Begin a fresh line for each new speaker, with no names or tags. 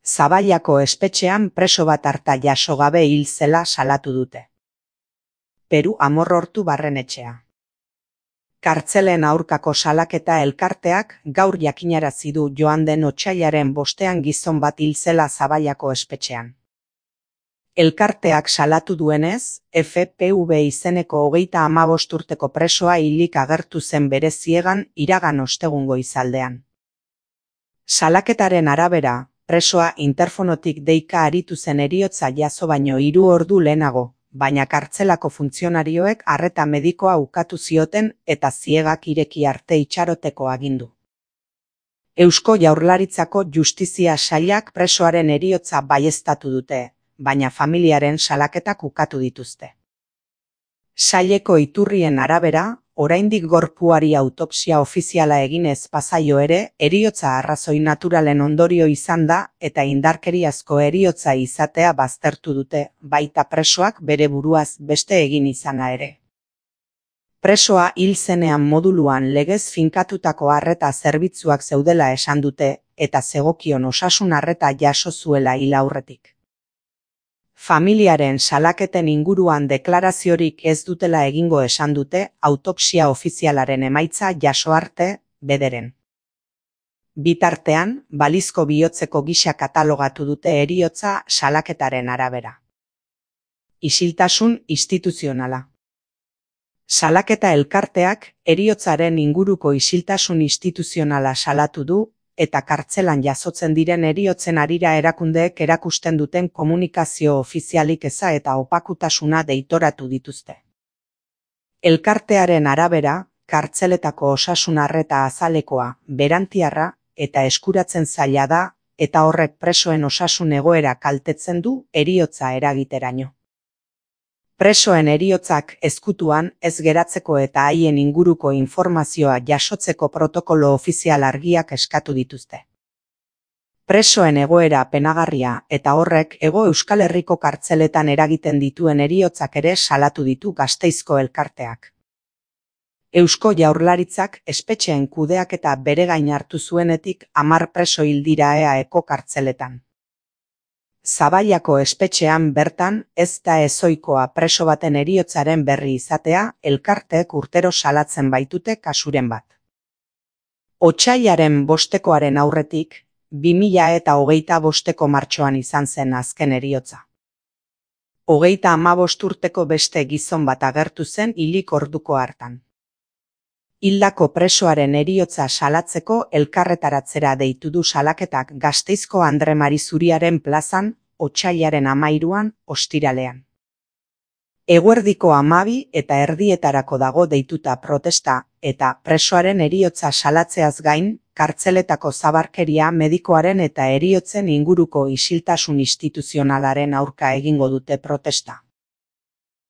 Zaballako espetxean preso bat harta jaso gabe hil zela salatu dute. Peru Amorrortu barrenetxea. Kartzelen aurkako salaketa elkarteak gaur jakinarazi du joan den otsailaren 5 gizon bat hil zela Zaballako espetxean. Elkarteak salatu duenez, FPV izeneko 35 urteko presoa hilik agertu zen bere ziegan iragan ostegun goizaldean. Salaketaren arabera, presoa interfonotik deika aritu zen heriotza jaso baino 3 ordu lehenago, baina kartzelako funtzionarioek arreta medikoa ukatu zioten eta ziegak ireki arte itxaroteko agindu. Eusko Jaurlaritzako Justizia Sailak presoaren heriotza baieztatu dute, baina familiaren salaketak ukatu dituzte. Saileko iturrien arabera, oraindik gorpuari autopsia ofiziala eginez pazaio ere, heriotza arrazoi naturalen ondorio izan da eta indarkeriazko heriotza izatea baztertu dute, baita presoak bere buruaz beste egin izana ere. Presoa hil zenean moduluan legez finkatutako arreta zerbitzuak zeudela esan dute eta zegokion osasun arreta jaso zuela hil aurretik. Familiaren salaketen inguruan deklaraziorik ez dutela egingo esan dute autopsia ofizialaren emaitza jaso arte, bederen. Bitartean, balizko bihotzeko gisa katalogatu dute heriotza salaketaren arabera. Isiltasun instituzionala. Salaketa elkarteak heriotzaren inguruko isiltasun instituzionala salatu du, eta kartzelan jasotzen diren heriotzen harira erakundeek erakusten duten komunikazio ofizialik eza eta opakutasuna deitoratu dituzte. Elkartearen arabera, kartzeletako osasun arreta azalekoa, berantiarra eta eskuratzen zaila da, eta horrek presoen osasun egoera kaltetzen du heriotza eragiteraino. Presoen heriotzak ezkutuan ez geratzeko eta haien inguruko informazioa jasotzeko protokolo ofizial argiak eskatu dituzte. Presoen egoera penagarria eta horrek Hego Euskal Herriko kartzeletan eragiten dituen heriotzak ere salatu ditu Gasteizko elkarteak. Eusko Jaurlaritzak espetxeen kudeaketa bere gain hartu zuenetik 10 preso hil dira EAeko kartzeletan. Zaballako espetxean bertan ez da ezoikoa preso baten heriotzaren berri izatea, elkarteek urtero salatzen baitute kasuren bat. Otsailaren 5 aurretik, 2025 martxoan izan zen azken heriotza. 35 urteko beste gizon bat agertu zen hilik orduko hartan. Hildako presoaren heriotza salatzeko elkarretaratzera deitu du salaketak Gasteizko Andre Mari Zuriaren plazan, otsailaren 13 ostiralean. Eguerdiko 12 eta erdietarako dago deituta protesta eta presoaren heriotza salatzeaz gain, kartzeletako zabarkeria medikoaren eta heriotzen inguruko isiltasun instituzionalaren aurka egingo dute protesta.